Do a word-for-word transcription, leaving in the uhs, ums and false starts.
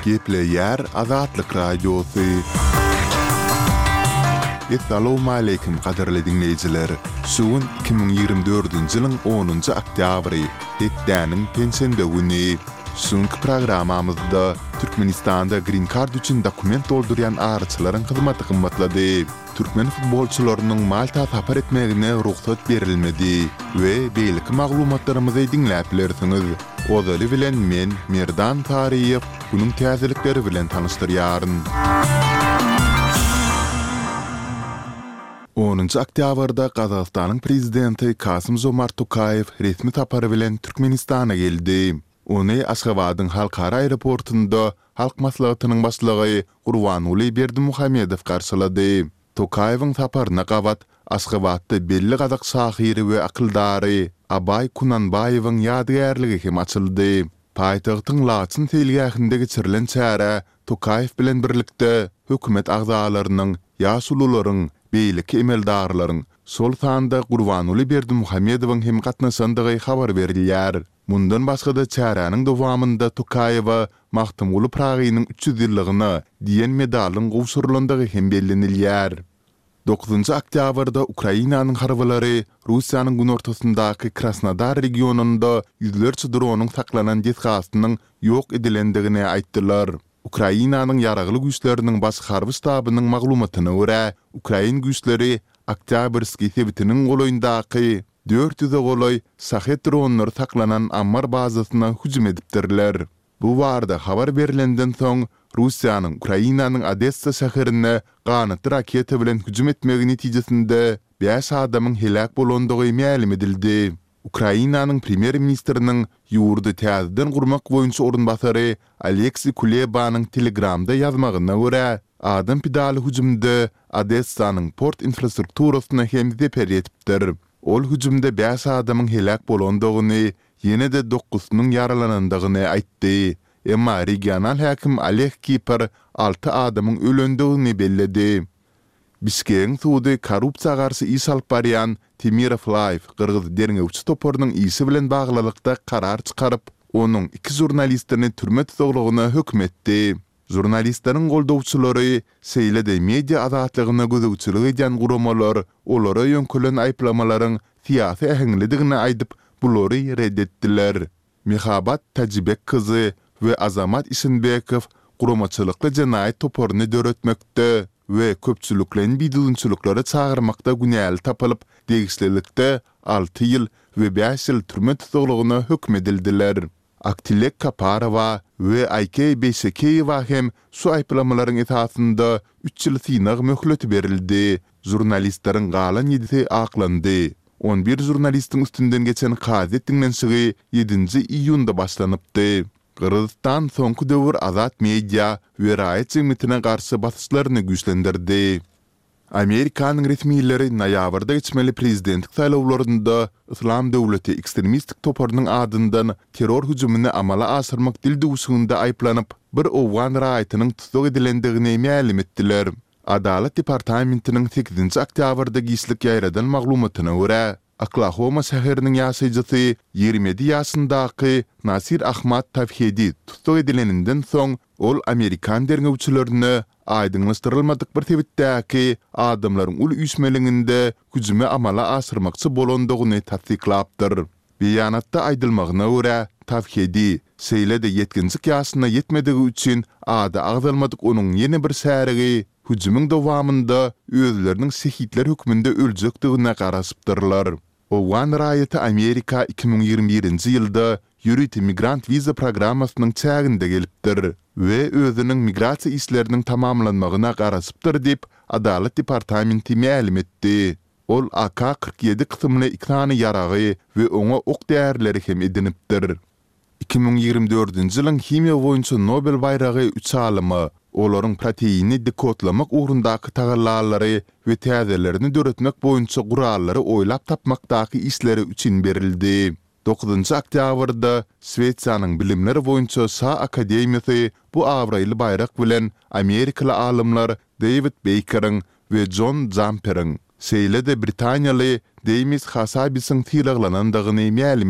Gepleýär Azatlyk Radiosy. Essalawmaleýkim gadyrly diňleýjiler! Şu gün iki müň ýigrimi dördünji ýylyň onunjy oktýabry, hepdäniň penşenbe güni. Şu günki programmamyzda Türkmenistanda Green Card üçin dokument doldurýan araçylaryň hyzmaty gymmatlady. Türkmen futbolçylarynyň Malta sapar etmegine rugsat berilmedi we beýleki maglumatlarymyzy diňläp bilersiňiz. Ozaly bilen men, Merdan Saryýew, günüň täzelikleri bilen tanyşdyrýaryn. Onunjy oktýabrda Gazagystanyň Prezidenti Kasym-Žomart Tokaýew resmi sapar bilen Türkmenistana geldi. Ony Aşgabadyň halkara aeroportunda Halk Maslahatynyň Başlygy Gurbanguly Berdimuhamedow garşylady. Tokaýewiň saparyna gabat Aşgabatda belli gazak şahyry we akyldary Abaý Kunanbaýewiň ýadygärligi hem açyldy. Paýtagtyň Laçyn seýilgähinde geçirilen çärä Tokaýew bilen birlikde hökümet agzalarynyň, ýaşulularyň, beýleki emeldarlaryň, şol sanda Gurbanguly Berdimuhamedowyň hem gatnaşandygy habar berilýär. Mundan başga-da çäräniň dowamynda Tokaýewa Magtymguly Pyragynyň üç ýüz ýyllygyna diýen medalyň gowşurylandygy hem bellenilýär. Dokuzynjy oktýabrda Ukrainanyň harbylary Russiýanyň günortasyndaky Krasnodar regionynda ýüzlerçe dronyň saklanan desgasynyň ýok edilendigini aýtdylar. Ukrainanyň Ýaragly Güýçleriniň Baş harby ştabynyň maglumatyna görä, ukrain güýçleri Oktýabrskiý sebitiniň golaýyndaky dört ýüze golaý Şahed dronlary saklanan ammar bazasyna hüjüm edipdirler. Bu barada habar berlenden soň, Russiýanyň Ukrainanyň Odessa şäherine ganatly raketa bilen hüjüm etmegi netijesinde bäş adamyň heläk bolandygy mälim edildi. Ukrainanyň premýer-ministriniň ýurdy täzeden gurmak boýunça orunbasary Oleksiý Kulebanyň Telegramda ýazmagyna görä, adam pidaly hüjümde Odessanyň port infrastrukturasyna hem zeper ýetipdir. Ol hüjümde bäş adamyň heläk bolandygyny, ýene-de dokuzysynyň ýaralanandygyny aýtdy. Emma regional häkim Oleg Kiper alty adamyň ölendigini belledi. Bişkegiň sudy korrupsiýa garşy iş alyp barýan Temirow Live gyrgyz derňewçi toparynyň işi bilen baglylykda karar çykaryp, onuň iki žurnalistini türme tussaglygyna höküm etdi. Žurnalistleriň goldawçylary, şeýle-de media azatlygyna gözegçilik edýän guramalar olara ýöňkelen aýyplamalaryň syýasy äheňlidigini aýdyp, bulary ret etdiler. Mehabat Täjibek kyzy we Azamat Işenbekow guramaçylykly jenaýat toparyny döretmekde we köpçülikleýin bidüzgünçiliklere çagyrmakda günäli tapylyp, degişlilikde alty ýyl we bäş ýyl türme tussaglygyna höküm edildiler. Aktilek Kaparowa we Aýkeý Beýşekeýewa hem şu aýyplamalaryň esasynda üç ýyl synag möhleti berildi. Žurnalistleriň galan ýedisi aklandy. On bir žurnalistiň üstünden geçen kazyýet diňlenişigi ýedinji iýunda başlanypdy. Gyrgyzystan soňky döwür azat media we raýat jemgyýetine garşy basyşlaryny güýçlendirdi. Amerikanyň resmileri noýabrda geçmeli prezidentlik saýlawlarynda Yslam döwleti ekstremistik toparynyň adyndan terror hüjümini amala aşyrmak dildüwşüginde aýyplanyp, bir owgan raýatynyň tussag edilendigini mälim etdiler. Adalat departamentiniň sekizinji oktýabrda giçlik ýaýradan maglumatyna görä, Oklahoma şäheriniň ýaşaýjysy ýigrimi ýedi ýaşyndaky Nasir Ahmad Tawhedi tussag edileninden soň, ol amerikan derňewçilerine aýdyňlaşdyrylmadyk bir sebitdäki adamlaryň uly üýşmeleňinde hüjümi amala aşyrmakçy bolandygyny tassyklapdyr. Beýanatda aýdylmagyna görä, Tawhedi, şeýle-de ýetginjek ýaşyna ýetmedigi üçin ady agzalmadyk onuň ýene bir şärigi hüjümiň dowamynda özleriniň şehitler hökmünde öljekdigine garaşypdyrlar. Owgan raýaty Amerika iki müň ýigrimi birinji ýylda ýörite migrant wiza programmasynyň çäginde gelipdir we özüniň migrasiýa işleriniň tamamlanmagyna garaşypdyr diýip, Adalat departamenti mälim etdi. Ol AK kyrk ýedi kysymly iki sany ýaragy we oňa ok-därileri hem edinipdir. Iki müň ýigrimi dördünji ýylyň himiýa boýunça Nobel baýragy üç alyma, olaryň proteini dekodlamak ugrundaky tagallalary we täzelerini döretmek boýunça gurallary oýlap tapmakdaky işleri üçin berildi. Dokuzynjy oktýabrda Şwesiýanyň Bilimler boýunça Şa akademiýasy bu abraýly baýrak bilen amerikaly alymlar Deýwid Beýkeriň we Jon Jamperiň, şeýle-de britaniýaly Demis Hasabisiň sylaglanandygyny mälim